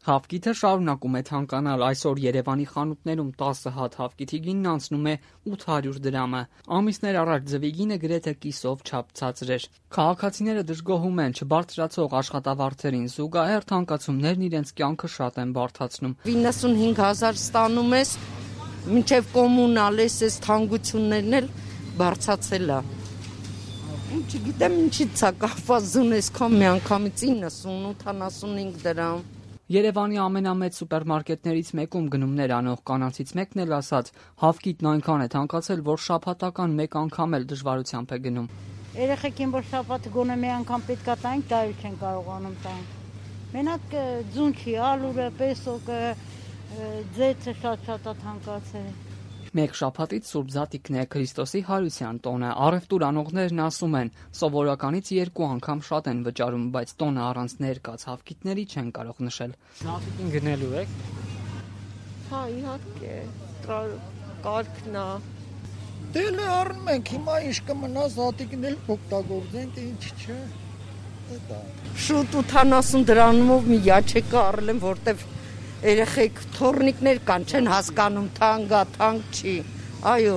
Հավկիթը շարունակում է թանկանալ, այսօր Երևանի խանութներում 10 հատ հավկիթի գինն անցնում է 800 դրամը, ամիսներ առաջ ձվի գինը գրեթե կիսով չափ ցածր էր։ Քաղաքացիները դժգոհում են չբարձրացող աշխատավարձերին, զուգահեռ թանկացումներն իրենց կյանքը շատ են բարդացնում։ 95,000 ստանում ես, մինչև կոմունալ ես թանկություններն էլ բարձրացել է։ Չգիտեմ ինչից է կախված, զունեսքան միանգամից 90-85 դրամ։ Երևանի ամենամեծ սուպերմարկետներից մեկում գնումներ անող կանանցից մեկն էլ ասաց, հավկիթն այնքան է թանկացել, որ շաբաթական մեկ անգամ էլ դժվարությամբ է գնում։ Երեխեքին որ շաբաթ գոնե մի անգամ պետքա տանք, դա էլ չեն կարողանում տանք։ Մենակ ձուն չի, ալուրը, պեսոկը, ձեթը շատ է թանկացել։ Մեկ շաբաթից Սուրբ Զատիկն է, Քրիստոսի հարության տոնը։ Առևտուր անողներն ասում են, սովորականից 2 անգամ շատ են վճարում, բայց տոնը առանց ներկած հավկիթների չեն կարող նշել։ Զատիկին գնելու եք։ Հա, իհարկե, կարգն է։ Դե լե առնում ենք, հիմա ինչ կմնա Զատիկն էլ օգտագործենք, ինչ չէ։ Դա շուտ 80 դրանով մի յաչեկը առել եմ, որտեվ երեխեք թորնիկներ կան, չեն հասկանում թանկ չի։ Այո,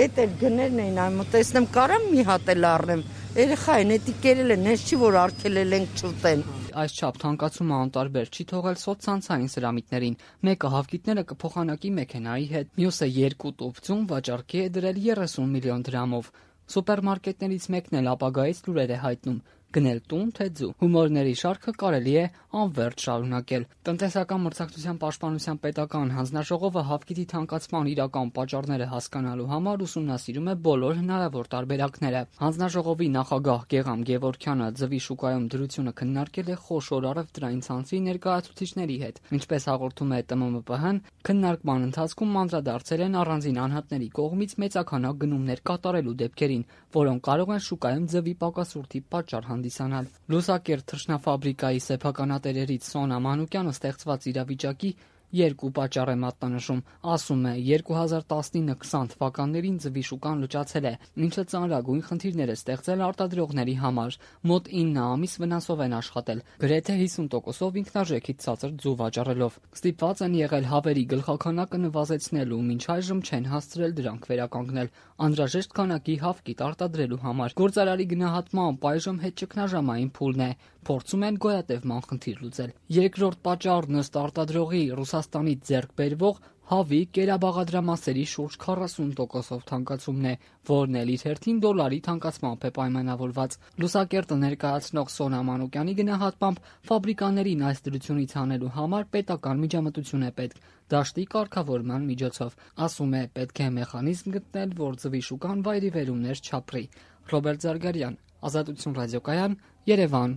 էդ էլ գներն էին, այմ տեսնեմ կարամ մի հատ էլ առնեմ։ Երեխա են, էդի կերել են, հենց չի որ արգելել ենք չուտեն։ Այս չափ թանկացումը անտարբեր չի թողել սոցցանցային սրամիտներին։ Մեկը հավկիթները կփոխանակի մեքենայի հետ, մյուսը 2 տուփ ձուն վաճառքի է դրել 30 միլիոն դրամով։ Սուպերմարկետներից մեկն էլ ապագայից լուրեր է հայտնում. գնել տուն թե ձու։ Հումորների շարքը կարելի է անվերջ շարունակել։ Տնտեսական մրցակցության պաշտպանության պետական հանձնաժողովը հավկիթի թանկացման իրական պատճառները հասկանալու համար ուսումնասիրում է բոլոր հնարավոր տարբերակները։ Հանձնաժողովի նախագահ Գեգամ Գևորգյանը ձվի շուկայում դրությունը քննարկել է խոշոր առևտրային ցանցի ներկայացուցիչների հետ։ Ինչպես հաղորդում է ՏՄՄՊՀ-ն, քննարկման ընթացքում անդրադարձել են առանձին անհատների կողմից մեծաքանակ գնումներ կատարելու դեպքերին, որոնք կարող են շուկայում ձվի պակասուրդի պատճառ հանդիսանալ։ Լուսակերտ թռչնաֆաբրիկայի սեփականատերերից Սոնա Մանուկյանը ստեղծված իրավիճակի 2 պատճառ է մատնանշում։ Ասում է, 2019-20 թվականներին ձվի շուկան լճացել է, ինչը ծանրագույն խնդիրներ է ստեղծել արտադրողների համար։ Մոտ 9 ամիս վնասով են աշխատել, գրեթե 50%-ով ինքնարժեքից ցածր ձու վաճառելով։ Ստիպված են եղել հավերի գլխաքանակը նվազեցնելու, մինչ այժմ չեն հասցրել դրանք վերականգնել, անհրաժեշտ քանակի հավկիթ արտադրելու համար։ Գործարարի գնահատմամբ այժմ հետ ճգնաժամային փուլն է, փորձում են գոյատևման խնդիր լուծել։ Երկրորդ պատճառն ըստ արտադրողի Ռուսաստանից ձեռք բերվող հավի կերաբաղադրամասերի շուրջ 40%-ով թանկացումն է, որն էլ իր հերթին դոլարի թանկացմամբ է պայմանավորված։ Լուսակերտը ներկայացնող Սոնա Մանուկյանի գնահատմամբ ֆաբրիկաներին այս դրությունից հանելու համար պետական միջամտություն է պետք, դաշտի կարգավորման միջոցով։ Ասում է, պետք է մեխանիզմ գտնել, որ ձվի շուկան վայրիվերումներ չապրի։ Ռոբերտ Զարգարյան, Ազատություն ռադիոկայան, Երևան։